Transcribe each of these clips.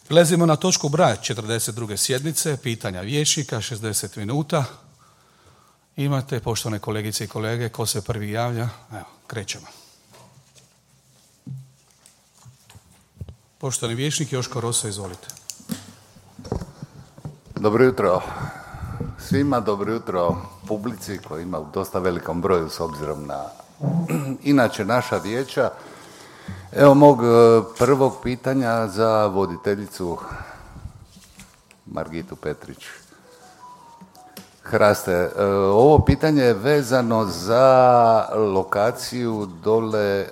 Prelazimo na točku broj 42. sjednice, pitanja vijećnika, 60 minuta. Imate, poštovane kolegice i kolege, ko se prvi javlja? Evo, krećemo. Poštovani vijećnik Joško Roso, izvolite. Dobro jutro svima, dobro jutro publici koji ima u dosta velikom broju s obzirom na inače naša vijeća. Evo mog prvog pitanja za voditeljicu Margitu Petrić. Hraste, ovo pitanje je vezano za lokaciju dole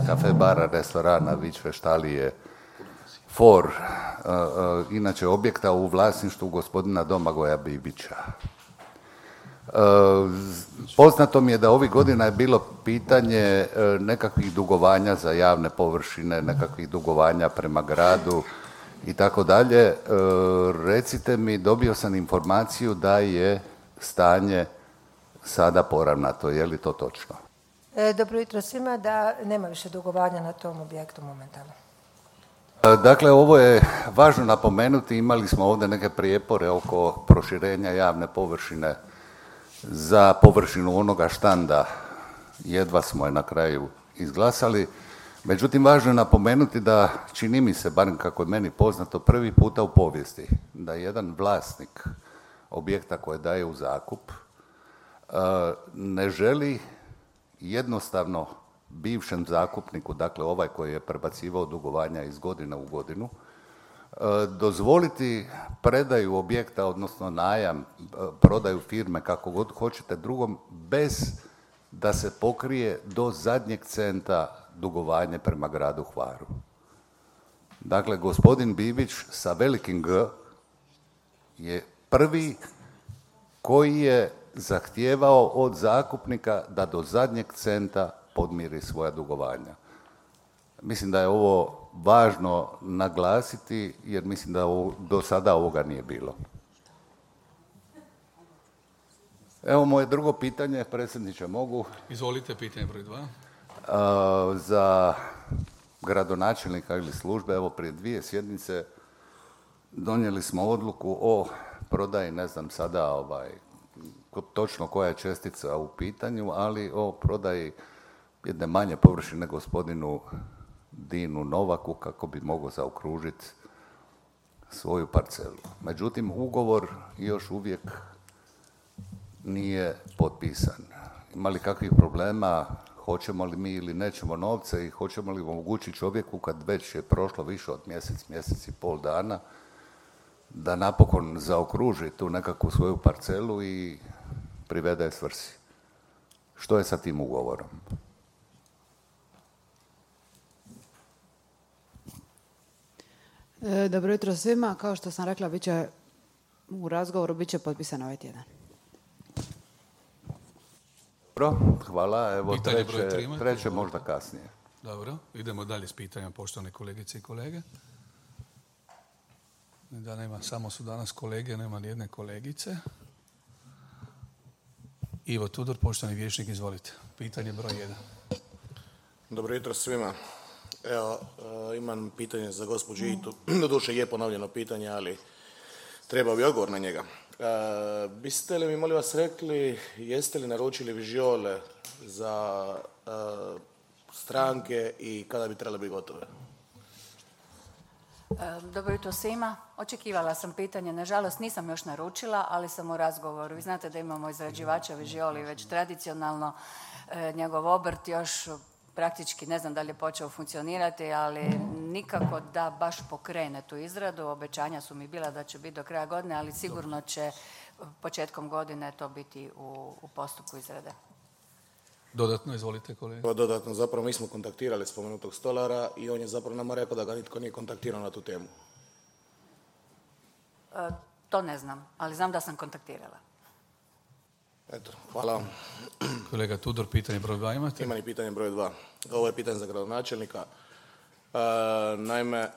kafe, bara, restorana, Vičve štalije, For, inače objekta u vlasništvu gospodina Domagoja Bibića. Poznato mi je da ovih godina je bilo pitanje nekakvih dugovanja za javne površine, nekakvih dugovanja prema gradu i tako dalje. Recite mi, dobio sam informaciju da je stanje sada poravnato, je li to točno? Dobro jutro svima, da nema više dugovanja na tom objektu momentalno. Dakle, ovo je važno napomenuti, imali smo ovdje neke prijepore oko proširenja javne površine za površinu onoga štanda, jedva smo je na kraju izglasali. Međutim, važno je napomenuti da, čini mi se, barem kako je meni poznato, prvi puta u povijesti da jedan vlasnik objekta koje daje u zakup ne želi jednostavno bivšem zakupniku, dakle ovaj koji je prebacivao dugovanja iz godine u godinu, dozvoliti predaju objekta, odnosno najam, prodaju firme, kako god hoćete, drugom, bez da se pokrije do zadnjeg centa dugovanje prema gradu Hvaru. Dakle, gospodin Bibić sa velikim G je prvi koji je zahtijevao od zakupnika da do zadnjeg centa podmiri svoja dugovanja. Mislim da je ovo važno naglasiti, jer mislim da do sada ovoga nije bilo. Evo moje drugo pitanje, predsjedniče, mogu? Izvolite, pitanje broj 2. Za gradonačelnika ili službe, evo prije 2 sjednice donijeli smo odluku o prodaji, ne znam sada točno koja je čestica u pitanju, ali o prodaji jedne manje površine gospodinu Dinu Novaku kako bi mogao zaokružiti svoju parcelu. Međutim, ugovor još uvijek nije potpisan. Ima li kakvih problema, hoćemo li mi ili nećemo novce i hoćemo li omogućiti čovjeku kad već je prošlo više od mjesec i pol dana, da napokon zaokruži tu nekakvu svoju parcelu i privede svrsi. Što je sa tim ugovorom? Dobro jutro svima. Kao što sam rekla, u razgovoru bit će potpisan ovaj tjedan. Dobro, hvala. Evo treće možda kasnije. Dobro, idemo dalje s pitanjem, poštovane kolegice i kolege. Da nema, samo su danas kolege, nema ni jedne kolegice. Ivo Tudor, poštovani vijećnik, izvolite. Pitanje broj 1. Dobro jutro svima. Evo, imam pitanje za gospođu Itu. Doduše je ponovljeno pitanje, ali treba bi odgovor na njega. Biste li mi, molim vas, rekli, jeste li naručili vižiole za stranke i kada bi trebale biti gotove? Dobro jutro svima. Očekivala sam pitanje, nažalost nisam još naručila, ali sam u razgovoru. Vi znate da imamo izrađivača vižioli već tradicionalno, njegov obrt još praktički, ne znam da li je počeo funkcionirati, ali nikako da baš pokrene tu izradu. Obećanja su mi bila da će biti do kraja godine, ali sigurno će početkom godine to biti u postupku izrade. Dodatno, izvolite kolega. Dodatno, zapravo mi smo kontaktirali spomenutog stolara i on je zapravo nama rekao da ga nitko nije kontaktirao na tu temu. To ne znam, ali znam da sam kontaktirala. Eto, hvala vam. Kolega Tudor, pitanje broj 2 imate? Imam i pitanje broj 2. Ovo je pitanje za gradonačelnika. Naime,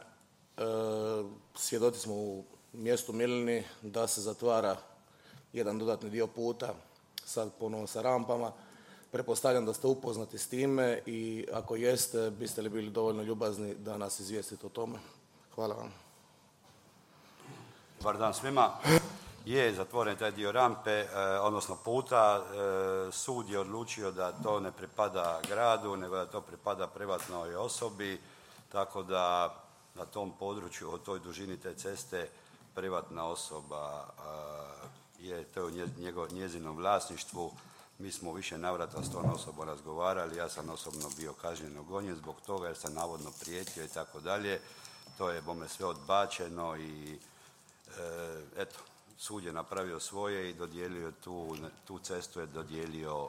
svjedoci smo u mjestu Milini da se zatvara jedan dodatni dio puta, sad ponovno sa rampama. Pretpostavljam da ste upoznati s time i ako jeste, biste li bili dovoljno ljubazni da nas izvijestite o tome? Hvala vam. Dobar dan svima. Je zatvoren taj dio rampe, odnosno puta. Sud je odlučio da to ne pripada gradu, nego da to pripada privatnoj osobi, tako da na tom području, o toj dužini te ceste, privatna osoba je to u njezinom vlasništvu. Mi smo u više navrata s tom osobom razgovarali, ja sam osobno bio kažnjeno gonjen zbog toga jer sam navodno prijetio i tako dalje. To je bome sve odbačeno i eto, sud je napravio svoje i dodijelio tu cestu je dodijelio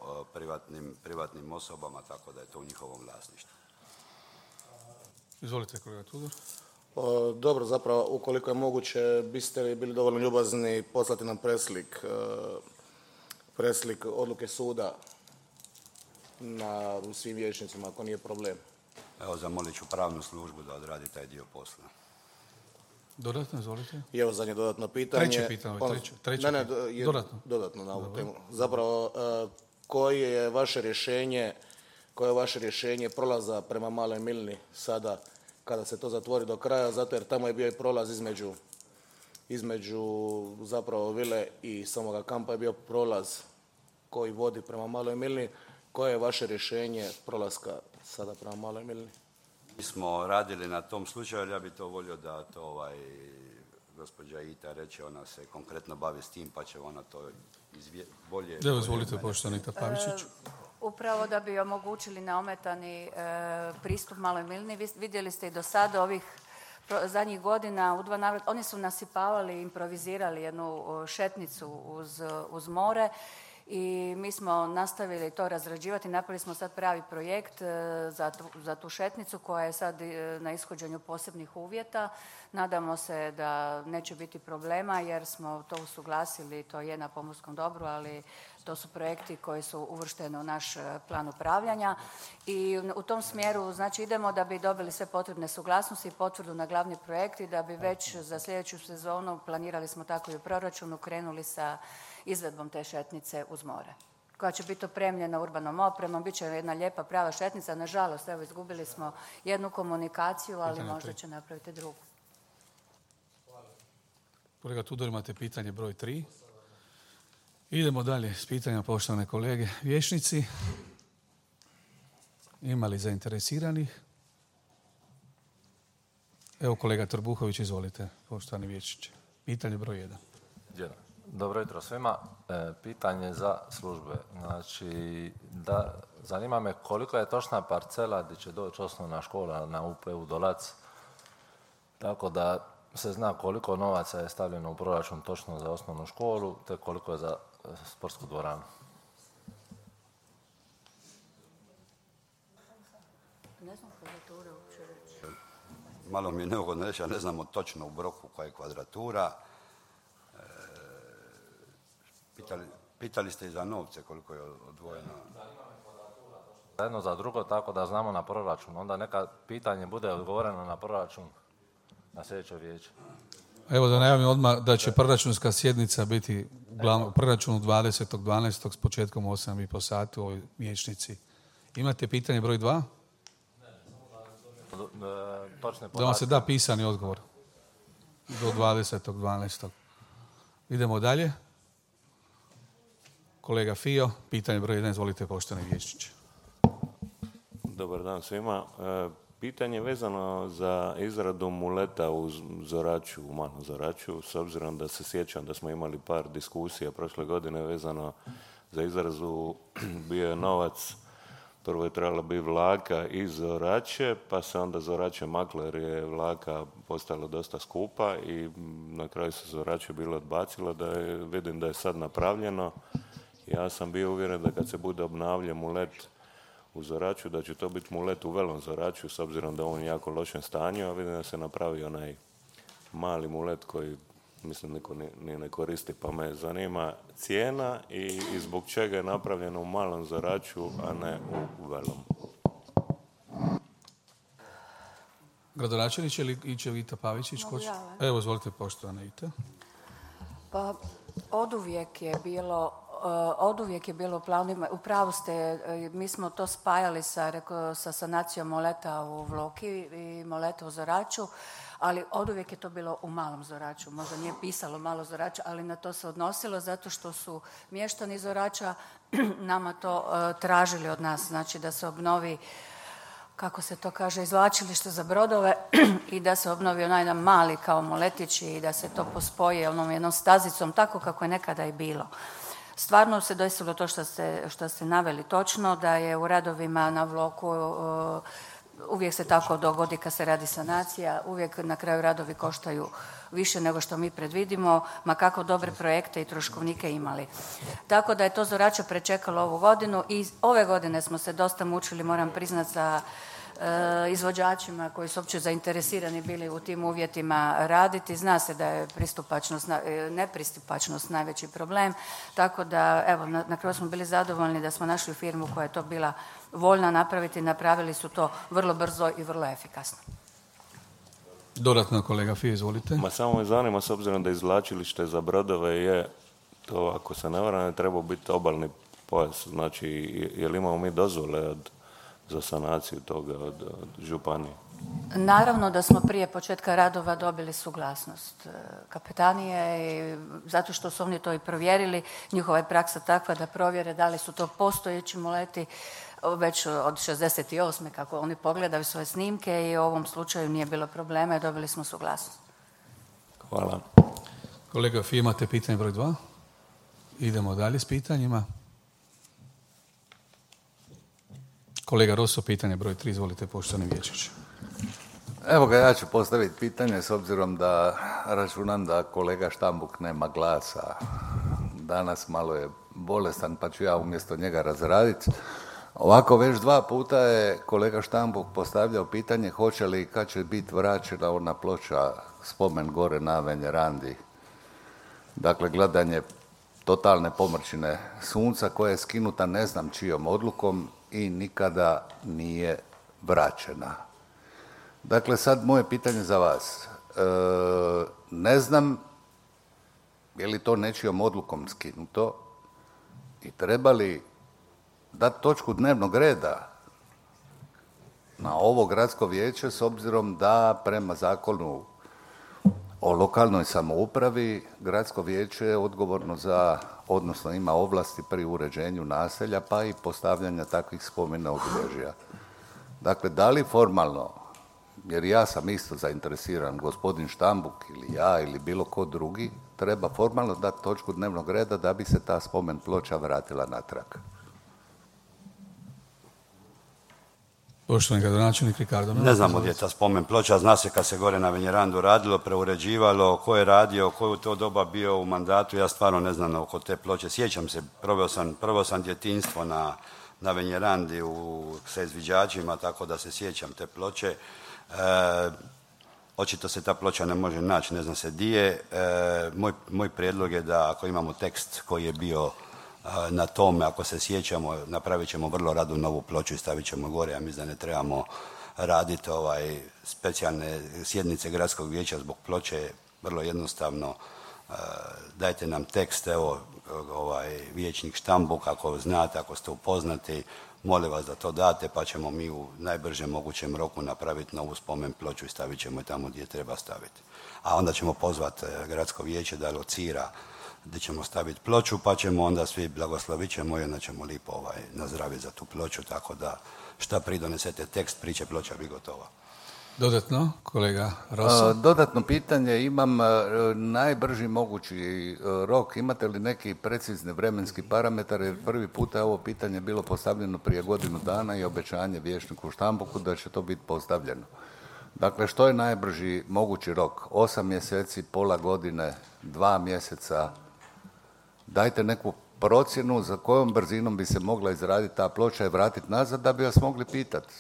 privatnim osobama, tako da je to u njihovom vlasništvu. Izvolite, kolega Tudor. Dobro, zapravo, ukoliko je moguće, biste li bili dovoljno ljubazni poslati nam preslik odluke suda na svim vijećnicima, ako nije problem. Evo, zamolit ću pravnu službu da odradi taj dio posla. Dodatno, izvolite. I evo zadnje dodatno pitanje. Treće pitanje. Dodatno na ovu temu. Zapravo, koje je vaše rješenje prolaza prema Maloj Milni sada kada se to zatvori do kraja, zato jer tamo je bio i prolaz između zapravo vile i samoga kampa je bio prolaz koji vodi prema Maloj Milni. Koje je vaše rješenje prolaska sada prema Maloj Milni? Mi smo radili na tom slučaju, ali ja bih to volio da to gospođa Ita reče, ona se konkretno bavi s tim, pa će ona to bolje... Evo, izvolite, poštovani Pavičić. Upravo da bi omogućili neometani pristup Maloj Milni. Vidjeli ste i do sada ovih zadnjih godina u 2 navrata, oni su nasipavali, improvizirali jednu šetnicu uz more i mi smo nastavili to razrađivati. Napravili smo sad pravi projekt za tu šetnicu koja je sad na ishođenju posebnih uvjeta. Nadamo se da neće biti problema jer smo to usuglasili, to je na pomorskom dobru, ali to su projekti koji su uvršteni u naš plan upravljanja i u tom smjeru znači idemo da bi dobili sve potrebne suglasnosti i potvrdu na glavni projekt i da bi već za sljedeću sezonu, planirali smo tako i u proračunu, krenuli sa izvedbom te šetnice uz more, koja će biti opremljena urbanom opremom, bit će jedna lijepa prava šetnica. Nažalost, evo, izgubili smo jednu komunikaciju, ali možda će napraviti drugu. Kolega Tudor, imate pitanje broj 3. Idemo dalje s pitanjima, poštovane kolege. Vijećnici, ima li zainteresiranih? Evo, kolega Trbuhović, izvolite, poštovani vijećniče. Pitanje broj 1. Dobro jutro svima. Pitanje za službe. Znači, zanima me koliko je točna parcela gdje će doći osnovna škola na UPU Dolac, tako da se zna koliko novaca je stavljeno u proračun točno za osnovnu školu, te koliko je za sportsku dvoranu. Ne znam kvadrature uopće reći. Malo mi je neugodno reći, ja ne znamo točno u Broku koja je kvadratura. Pitali ste i za novce koliko je odvojeno. Za jedno za drugo, tako da znamo na proračun. Onda neka pitanje bude odgovoreno na proračun na sljedećoj vijeću. Evo da najavim odmah da će proračunska sjednica biti u proračunu 20.12. s početkom 8:30 sati u ovoj vijećnici. Imate pitanje broj 2? Točne Da vam se da pisani odgovor do 20.12. Idemo dalje. Kolega Fio, pitanje broj 1, izvolite, poštovani vijećniče. Dobar dan svima. Pitanje vezano za izradu muleta u Zoraću, u Malom Zoraću, s obzirom da se sjećam da smo imali par diskusija prošle godine vezano za izrazu, bio je novac, prvo je trebala biti vlaka iz Zoraće, pa se onda Zoraće maklo jer je vlaka postala dosta skupa i na kraju se Zoraće bilo odbacilo, vidim da je sad napravljeno. Ja sam bio uvjeren da kad se bude obnavljao mulet u Zoraću, da će to biti mulet u Velom Zoraću, s obzirom da je on u jako lošem stanju, a vidim da se napravi onaj mali mulet koji, mislim, niko ne koristi, pa me zanima cijena i zbog čega je napravljeno u Malom Zoraću, a ne u Velom. Gradonačelniče ili Iće Vita Pavičić? Evo, izvolite, poštovana Ita. Pa, oduvijek je bilo oduvijek je bilo u planovima, u pravu ste, mi smo to spajali sa sanacijom moleta u Vloki i moleta u Zoraču, ali oduvijek je to bilo u Malom Zoraču. Možda nije pisalo Malo Zorača, ali na to se odnosilo zato što su mještani Zorača nama to tražili od nas, znači da se obnovi, kako se to kaže, izvlačilište za brodove i da se obnovi onaj jedan mali kao moletić i da se to pospoje onom jednom stazicom, tako kako je nekada i bilo. Stvarno se desilo to što ste naveli točno, da je u radovima na Vloku uvijek se tako dogodi kad se radi sanacija, uvijek na kraju radovi koštaju više nego što mi predvidimo, ma kako dobre projekte i troškovnike imali. Tako da je to Zorača prečekalo ovu godinu i ove godine smo se dosta mučili, moram priznati, sa izvođačima koji su uopće zainteresirani bili u tim uvjetima raditi. Zna se da je nepristupačnost najveći problem, tako da evo, na kraju smo bili zadovoljni da smo našli firmu koja je to bila voljna napraviti, napravili su to vrlo brzo i vrlo efikasno. Dodatno, kolega Fije, izvolite. Ma samo me zanima, s obzirom da izvlačilište za brodove je, to ako se ne varam, trebao biti obalni pojas. Znači, je li imamo mi dozvole za sanaciju toga od županije? Naravno da smo prije početka radova dobili suglasnost kapetanije i zato što su oni to i provjerili. Njihova je praksa takva da provjere da li su to postojeći moleti već od 68. kako oni pogledaju svoje snimke i u ovom slučaju nije bilo problema i dobili smo suglasnost. Hvala. Kolega Fije, imate pitanje broj 2? Idemo dalje s pitanjima. Kolega Rosso, pitanje broj 3, izvolite, poštovani Vječić. Evo ga, ja ću postaviti pitanje s obzirom da računam da kolega Štambuk nema glasa. Danas malo je bolestan pa ću ja umjesto njega razraditi. Ovako, već 2 puta je kolega Štambuk postavljao pitanje hoće li i kad će biti vraćena ona ploča spomen gore na Venerandi. Dakle, gledanje totalne pomrčine sunca koja je skinuta ne znam čijom odlukom i nikada nije vraćena. Dakle, sad moje pitanje za vas. Ne znam je li to nečijom odlukom skinuto i treba li dati točku dnevnog reda na ovo gradsko vijeće s obzirom da prema zakonu o lokalnoj samoupravi gradsko vijeće je odgovorno za, odnosno ima ovlasti pri uređenju naselja pa i postavljanja takvih spomena obilježja. Dakle, da li formalno, jer ja sam isto zainteresiran, gospodin Štambuk ili ja ili bilo ko drugi, treba formalno dati točku dnevnog reda da bi se ta spomen ploča vratila natrag. Poštovani gradonačelnik Ricardo. Ne znamo gdje je ta spomen ploča, zna se kad se gore na Venjerandu radilo, preuređivalo, ko je radio, ko je u to doba bio u mandatu, ja stvarno ne znam oko te ploče. Sjećam se, proveo sam djetinjstvo na Venjerandi sa izviđačima, tako da se sjećam te ploče. Očito se ta ploča ne može naći, ne zna se di je. Moj prijedlog je da ako imamo tekst koji je bio na tome, ako se sjećamo, napravit ćemo vrlo rado novu ploču i stavit ćemo gore. Ja mislim da ne trebamo raditi specijalne sjednice gradskog vijeća zbog ploče, vrlo jednostavno. Dajte nam tekst, evo, vijećnik Štambuk, ako znate, ako ste upoznati, molim vas da to date, pa ćemo mi u najbržem mogućem roku napraviti novu spomen ploču i stavit ćemo je tamo gdje treba staviti. A onda ćemo pozvati gradsko vijeće da locira gdje ćemo staviti ploču, pa ćemo onda svi blagoslovit ćemo i onda ćemo lipo nazdraviti za tu ploču, tako da šta pridonesete tekst, priče, ploča bi gotova. Dodatno, kolega Rosso. Dodatno pitanje, imam najbrži mogući rok, imate li neki precizni vremenski parametar, jer prvi puta je ovo pitanje bilo postavljeno prije godinu dana i obećanje vijećniku Štambuku da će to biti postavljeno. Dakle, što je najbrži mogući rok? 8 mjeseci, pola godine, 2 mjeseca? Dajte neku procjenu za kojom brzinom bi se mogla izraditi ta ploča i vratiti nazad da bi vas mogli pitati.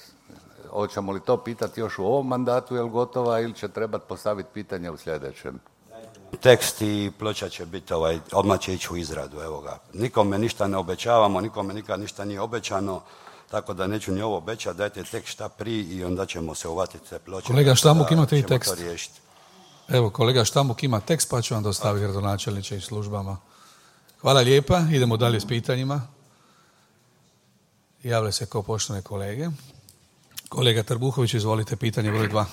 Hoćemo li to pitati još u ovom mandatu, je li gotova, ili će trebati postaviti pitanje u sljedećem? Tekst i ploča će biti, odmah će ići u izradu, evo ga. Nikome ništa ne obećavamo, nikome nikad ništa nije obećano, tako da neću ni ovo obećati, dajte tekst šta prije i onda ćemo se uvatiti te ploče. Kolega Štambuk, imate i tekst? To riješiti. Evo, kolega Štambuk ima tekst, pa ću vam dostaviti gradonačelniče i službama. Hvala lijepa. Idemo dalje s pitanjima. Javlja se kao poštovane kolege. Kolega Trbuhović, izvolite, pitanje broj 2.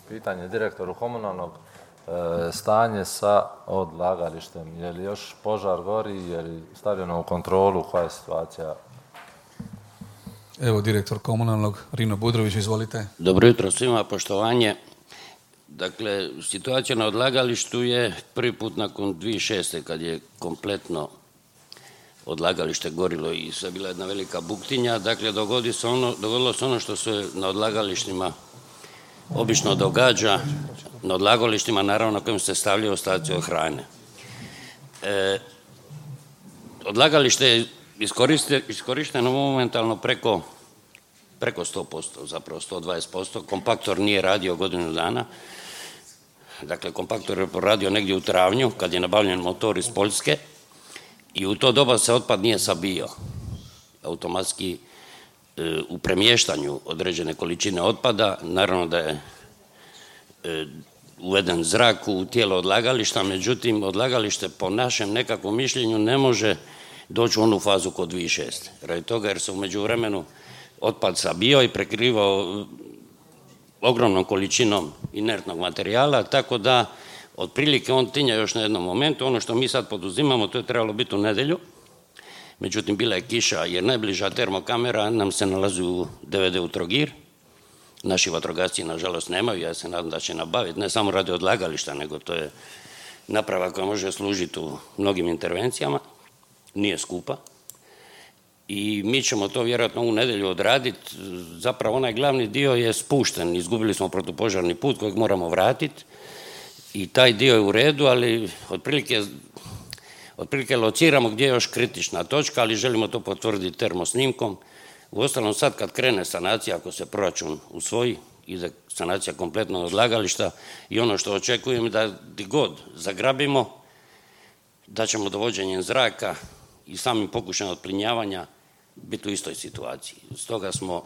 Pitanje direktoru komunalnog, stanje sa odlagalištem. Je li još požar gori, je li stavljeno u kontrolu, koja je situacija? Evo, direktor komunalnog, Rino Budrović, izvolite. Dobro jutro svima, poštovanje. Dakle, situacija na odlagalištu je prvi put nakon 2006. kad je kompletno odlagalište gorilo i sve bila jedna velika buktinja. Dakle, dogodilo se ono što se na odlagalištima obično događa, na odlagalištima naravno na kojem se stavljaju ostaci od hrane. Odlagalište je iskorišteno momentalno preko 100%, zapravo 120%. Kompaktor nije radio godinu dana. Dakle, kompaktor je poradio negdje u travnju kad je nabavljen motor iz Poljske i u to doba se otpad nije sabio. Automatski u premještanju određene količine otpada, naravno da je uveden zrak u tijelo odlagališta, međutim odlagalište po našem nekakvom mišljenju ne može doći u onu fazu kod 2006. Radi toga jer se u međuvremenu otpad sabio i prekrivao ogromnom količinom inertnog materijala, tako da otprilike on tinja još na jednom momentu. Ono što mi sad poduzimamo, to je trebalo biti u nedjelju, međutim bila je kiša jer najbliža termokamera nam se nalazi u DVD u Trogir. Naši vatrogasci nažalost nemaju, ja se nadam da će nabaviti, ne samo radi odlagališta, nego to je naprava koja može služiti u mnogim intervencijama, nije skupa. I mi ćemo to vjerojatno u nedjelju odraditi. Zapravo onaj glavni dio je spušten, izgubili smo protupožarni put kojeg moramo vratiti i taj dio je u redu, ali otprilike lociramo gdje je još kritična točka, ali želimo to potvrditi termosnimkom. Uostalom sad kad krene sanacija, ako se proračun usvoji, ide sanacija kompletnog odlagališta i ono što očekujem da gdje god zagrabimo, da ćemo dovođenjem zraka i samim pokušajem otplinjavanja biti u istoj situaciji. Stoga smo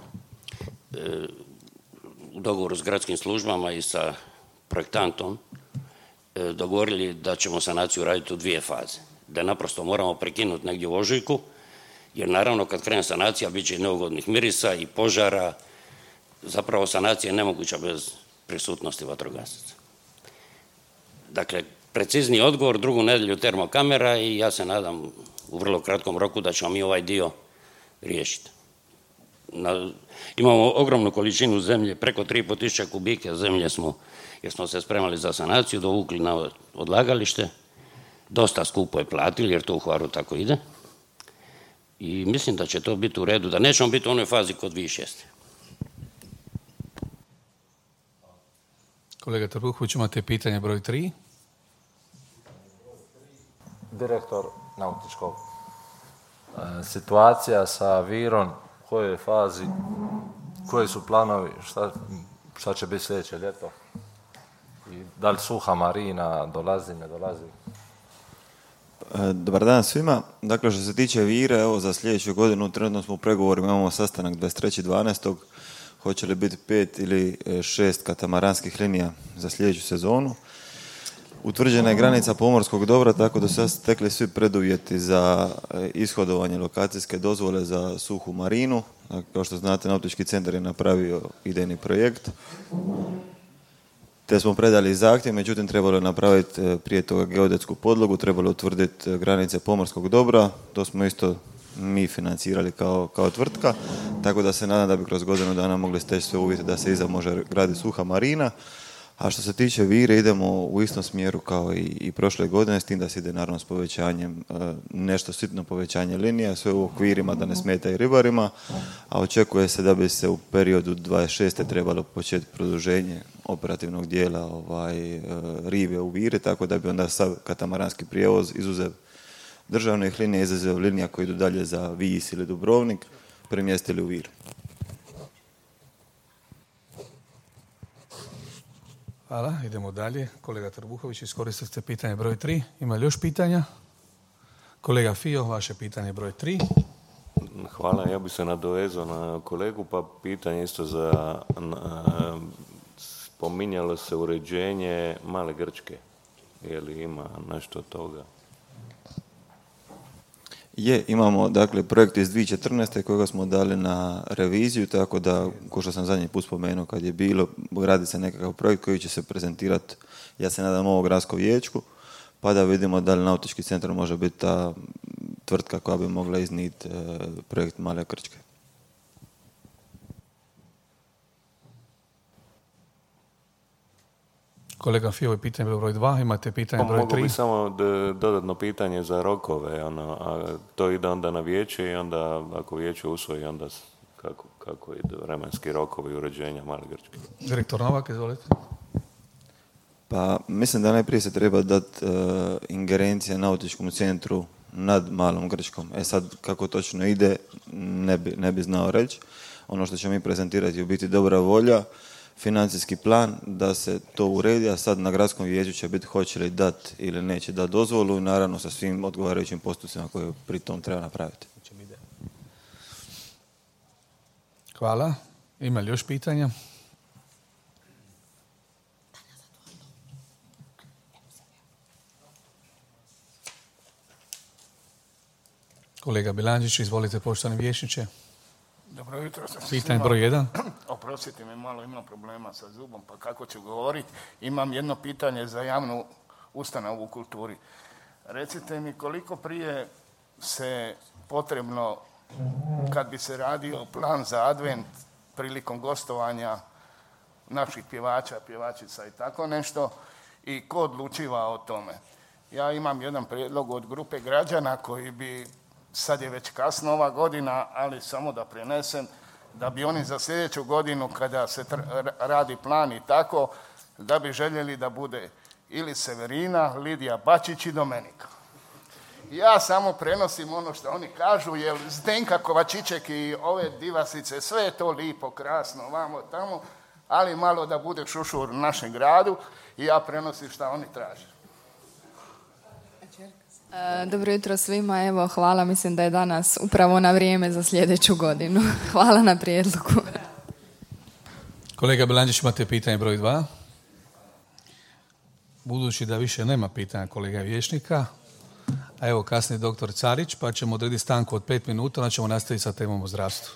u dogovoru s gradskim službama i sa projektantom dogovorili da ćemo sanaciju raditi u 2 faze. Da naprosto moramo prekinuti negdje u ožujku, jer naravno kad krene sanacija bit će i neugodnih mirisa i požara. Zapravo sanacija je nemoguća bez prisutnosti vatrogasaca. Dakle, precizni odgovor, 2. nedjelju termokamera i ja se nadam u vrlo kratkom roku da ćemo mi ovaj dio riješiti. Imamo ogromnu količinu zemlje, preko 3.500 kubike zemlje smo, jer smo se spremali za sanaciju, dovukli na odlagalište. Dosta skupo je platili jer to u Hvaru tako ide. I mislim da će to biti u redu, da nećemo biti u onoj fazi kod 2006. Kolega Trbuhović, imate pitanje broj 3. Direktor nautičkog. Situacija sa Virom, u kojoj je fazi, koji su planovi, šta će biti sljedeće ljeto? I da li suha marina dolazi, ne dolazi? Dobar dan svima. Dakle, što se tiče Vire, evo za sljedeću godinu trenutno smo u pregovorima, imamo sastanak 23.12. Hoće li biti 5 ili 6 katamaranskih linija za sljedeću sezonu. Utvrđena je granica pomorskog dobra, tako da su sad stekli svi preduvjeti za ishodovanje lokacijske dozvole za suhu marinu. Dakle, kao što znate, Nautički centar je napravio idejni projekt, te smo predali zahtjev, međutim trebalo je napraviti prije toga geodetsku podlogu, trebalo je utvrditi granice pomorskog dobra, to smo isto mi financirali kao tvrtka, tako da se nadam da bi kroz godinu dana mogli steći sve uvjete da se iza može graditi suha marina. A što se tiče Vire, idemo u istom smjeru kao i prošle godine, s tim da se ide naravno s povećanjem, nešto sitno povećanje linija, sve u okvirima da ne smeta i ribarima, a očekuje se da bi se u periodu 26. trebalo početi produženje operativnog dijela rive u Vire, tako da bi onda sav katamaranski prijevoz izuzev državnih linija, izuzev linija koji idu dalje za Vis ili Dubrovnik, premjestili u Vir. Hvala, idemo dalje. Kolega Trbuhović, iskoristili ste pitanje broj 3. Ima li još pitanja? Kolega Fio, vaše pitanje broj 3. Hvala, ja bih se nadovezao na kolegu, pa pitanje isto za... Spominjalo se uređenje Male Grčke. Je li ima nešto od toga? Imamo dakle projekt iz 2014. kojega smo dali na reviziju, tako da, ko što sam zadnji put spomenuo kad je bilo, radi se nekakav projekt koji će se prezentirati, ja se nadam, ovo gradsko vijećku, pa da vidimo da li nautički centar može biti ta tvrtka koja bi mogla iznijeti projekt Male Krčke. Kolega Fijo, je pitanje broj 2, imate pitanje broj 3. Mogu bi samo dodatno pitanje za rokove, a to ide onda na vijeće i onda ako vijeće usvoji, onda kako ide vremenski rokovi uređenja Male Grčke. Direktor Novak, izvolite. Pa mislim da najprije se treba dati ingerencija nautičkom centru nad Malom Grčkom. Sad kako točno ide ne bi znao reći. Ono što ćemo mi prezentirati je u biti dobra volja, financijski plan da se to uredi, a sad na gradskom vijeću će biti hoće li dati ili neće dati dozvolu i naravno sa svim odgovarajućim postupcima koje pri tom treba napraviti. Hvala. Ima li još pitanja? Kolega Bilandžić, izvolite, poštovani vijećniče. Dobro jutro. Pitanje broj 1. Oprostite mi, malo imam problema sa zubom, pa kako ću govoriti. Imam jedno pitanje za javnu ustanovu u kulturi. Recite mi koliko prije se potrebno, kad bi se radio plan za advent prilikom gostovanja naših pjevača, pjevačica i tako nešto, i ko odlučiva o tome? Ja imam jedan prijedlog od grupe građana koji bi, sad je već kasno ova godina, ali samo da prenesem, da bi oni za sljedeću godinu kada se radi plan i tako, da bi željeli da bude ili Severina, Lidija Bačić i Domenika. Ja samo prenosim ono što oni kažu, jer Zdenka Kovačićek i ove divasice, sve je to lipo, krasno, vamo, tamo, ali malo da bude šušur u našem gradu i ja prenosim što oni traže. Dobro jutro svima, evo hvala, mislim da je danas upravo na vrijeme za sljedeću godinu. Hvala na prijedlogu. Kolega Bilandžić, imate pitanje broj 2. Budući da više nema pitanja kolega vijećnika, a evo kasnije doktor Carić, pa ćemo odrediti stanku od 5 minuta, onda ćemo nastaviti sa temom o zdravstvu.